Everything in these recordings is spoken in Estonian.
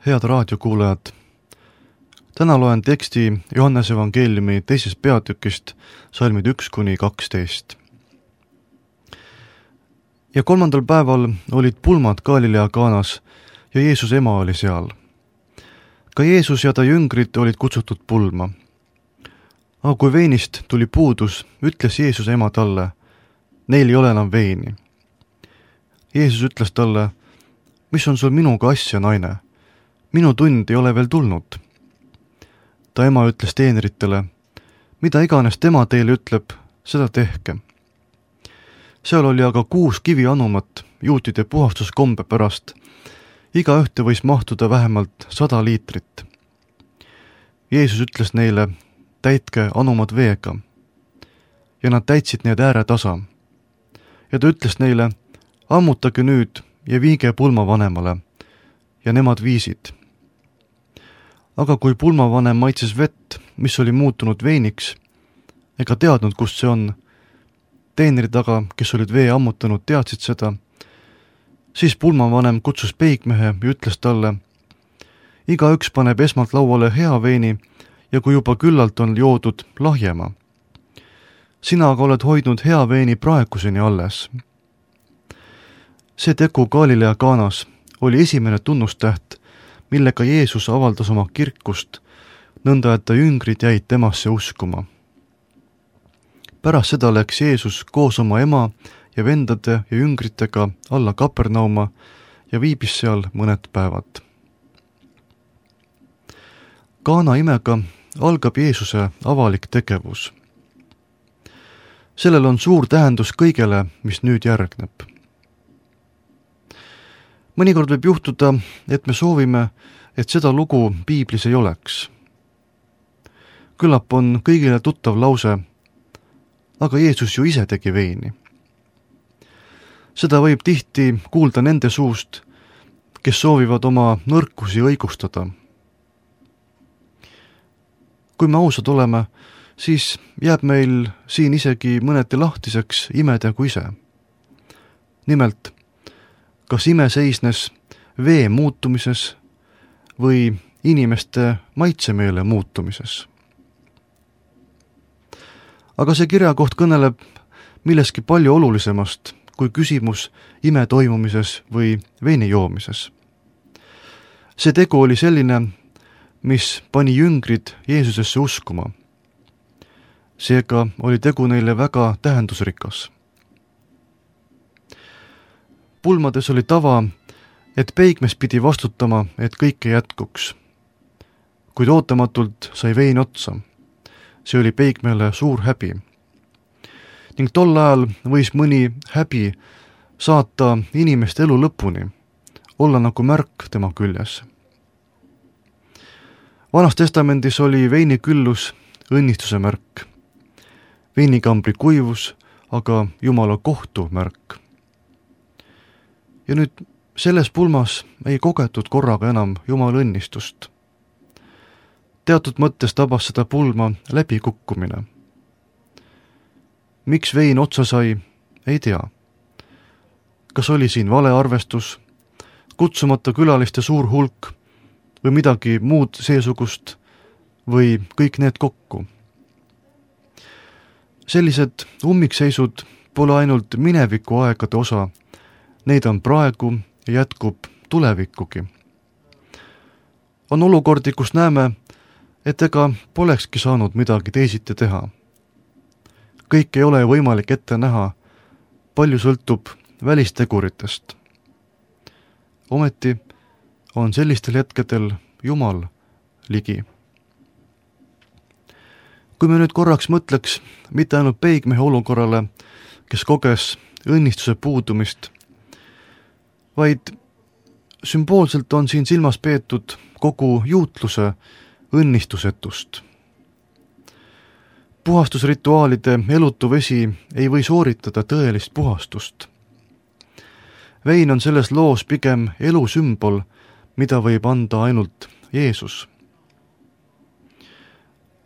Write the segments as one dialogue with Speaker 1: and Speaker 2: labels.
Speaker 1: Head raadiokuulajad, täna loen teksti Johannese evangeeliumi 2. peatükist, salmid 1–12. Ja 3. päeval olid pulmad Galilea Kaanas ja Jeesuse ema oli seal. Ka Jeesus ja ta jüngrid olid kutsutud pulma. Aga kui veinist tuli puudus, ütles Jeesuse ema talle, neil ei ole enam veini. Jeesus ütles talle, mis on sul minuga asja, naine? Minu tund ei ole veel tulnud. Ta ema ütles teenritele, mida iganes tema teile ütleb, seda tehke. Seal oli aga 6 kivianumat juutide puhastuskombe pärast. Iga ühte võis mahtuda vähemalt 100 liitrit. Jeesus ütles neile, täitke anumad veega. Ja nad täitsid need ääretasa. Ja ta ütles neile, ammutage nüüd ja viige pulmavanemale. Ja nemad viisid. Aga kui pulmavanem maitses vett, mis oli muutunud veiniks, ega teadnud, kust see on, teenrid aga, kes olid vee ammutanud, teadsid seda, siis pulmavanem kutsus peigmehe ja ütles talle, igaüks paneb esmalt lauale hea veini ja kui juba küllalt on joodud, lahjema. Sina aga oled hoidnud hea veini praeguseni alles. See tegu Galilea Kaanas oli esimene tunnustäht, millega Jeesus avaldas oma kirkust, nõnda et ta jüngrid jäid temasse uskuma. Pärast seda läks Jeesus koos oma ema ja vendade ja jüngritega alla Kapernauma ja viibis seal mõned päevad. Kaana imega algab Jeesuse avalik tegevus. Sellel on suur tähendus kõigele, mis nüüd järgneb. Mõnikord võib juhtuda, et me soovime, et seda lugu piiblis ei oleks. Küllap on kõigile tuttav lause, aga Jeesus ju ise tegi veini. Seda võib tihti kuulda nende suust, kes soovivad oma nõrkusi õigustada. Kui me ausad oleme, siis jääb meil siin isegi mõneti lahtiseks imedegu ise. Nimelt, kas ime seisnes vee muutumises või inimeste maitsemeele muutumises? Aga see kirjakoht kõneleb milleski palju olulisemast kui küsimus ime toimumises või veini joomises. See tegu oli selline, mis pani jüngrid Jeesusesse uskuma. Seega oli tegu neile väga tähendusrikas. Pulmades oli tava, et peigmes pidi vastutama, et kõike jätkuks. Kuid ootamatult sai vein otsa. See oli peigmele suur häbi. Ning tol ajal võis mõni häbi saata inimest elu lõpuni, olla nagu märk tema küljes. Vanas testamendis oli veini küllus õnnistuse märk. Veinikambri kuivus, aga Jumala kohtu märk. Ja nüüd selles pulmas ei kogetud korraga enam Jumala õnnistust. Teatud mõttes tabas seda pulma läbikukkumine. Miks vein otsa sai, ei tea. Kas oli siin valearvestus, kutsumata külaliste suur hulk või midagi muud seesugust või kõik need kokku? Sellised ummikseisud pole ainult mineviku aegade osa, neid on praegu ja jätkub tulevikugi. On olukordi, kus näeme, et ega polekski saanud midagi teisiti teha. Kõik ei ole võimalik ette näha, palju sõltub välisteguritest. Ometi on sellistel hetkedel Jumal ligi. Kui me nüüd korraks mõtleks mitte ainult peigmehe olukorrale, kes koges õnnistuse puudumist, vaid sümboolselt on siin silmas peetud kogu juutluse õnnistusetust. Puhastusrituaalide elutu vesi ei või sooritada tõelist puhastust. Vein on selles loos pigem elu sümbol, mida võib anda ainult Jeesus.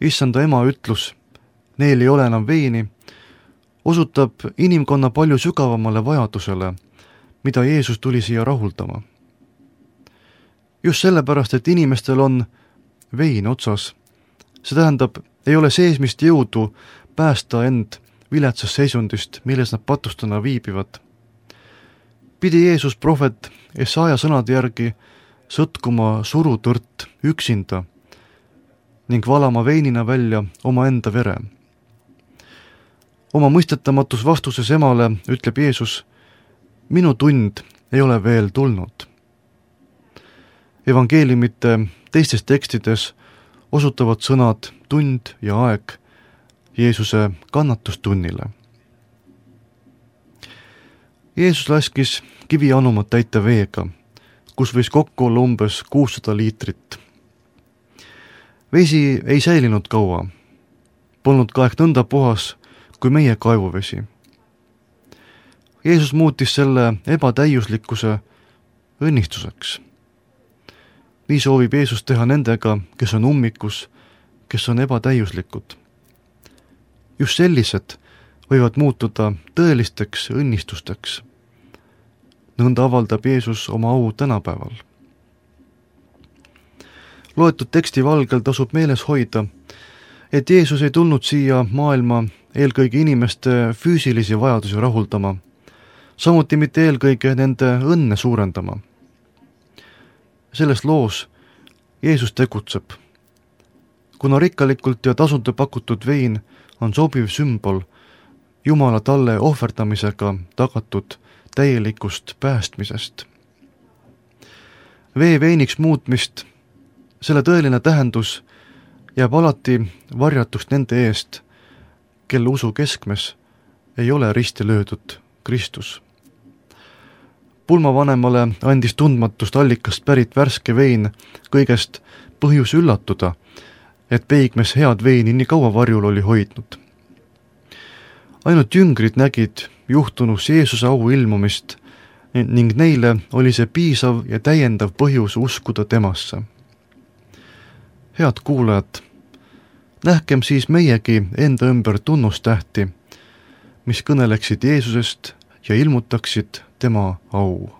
Speaker 1: Issanda ema ütlus, neil ei ole enam veini, osutab inimkonna palju sügavamale vajadusele, mida Jeesus tuli siia rahuldama. just sellepärast, et inimestel on vein otsas. See tähendab, ei ole seesmist jõudu päästa end viletsast seisundist, milles nad patustena viibivad. Pidi Jeesus prohvet Esaja sõnade järgi sõtkuma surutõrt üksinda ning valama veinina välja omaenda vere. Oma mõistetamatus vastuses emale ütleb Jeesus, minu tund ei ole veel tulnud. Evangeeliumite teistes tekstides osutavad sõnad tund ja aeg Jeesuse kannatustunnile. Jeesus laskis kivianumat täita veega, kus võis kokku olla umbes 600 liitrit. Vesi ei säilinud kaua, polnud ka ehk nõnda puhas kui meie kaevuvesi. Jeesus muutis selle ebatäiuslikkuse õnnistuseks. Nii soovib Jeesus teha nendega, kes on ummikus, kes on ebatäiuslikud. Just sellised võivad muutuda tõelisteks õnnistusteks. Nõnda avaldab Jeesus oma au tänapäeval. Loetud teksti valgel tasub meeles hoida, et Jeesus ei tulnud siia maailma eelkõige inimeste füüsilisi vajadusi rahuldama, samuti mitte eelkõige nende õnne suurendama. Selles loos Jeesus tegutseb. Kuna rikkalikult ja tasuta pakutud vein on sobiv sümbol Jumala talle ohverdamisega tagatud täielikust päästmisest. Vee veiniks muutmist, selle tõeline tähendus jääb alati varjatuks nende eest, kelle usu keskmes ei ole risti löödud Kristus. Pulmavanemale andis tundmatust allikast pärit värske vein kõigest põhjus üllatuda, et peigmes head veini nii kaua varjul oli hoidnud. Ainult jüngrid nägid juhtunus Jeesuse au ilmumist ning neile oli see piisav ja täiendav põhjus uskuda temasse. Head kuulajad, nähkem siis meiegi enda ümber tunnustähti, mis kõneleksid Jeesusest ja ilmutaksid tema au.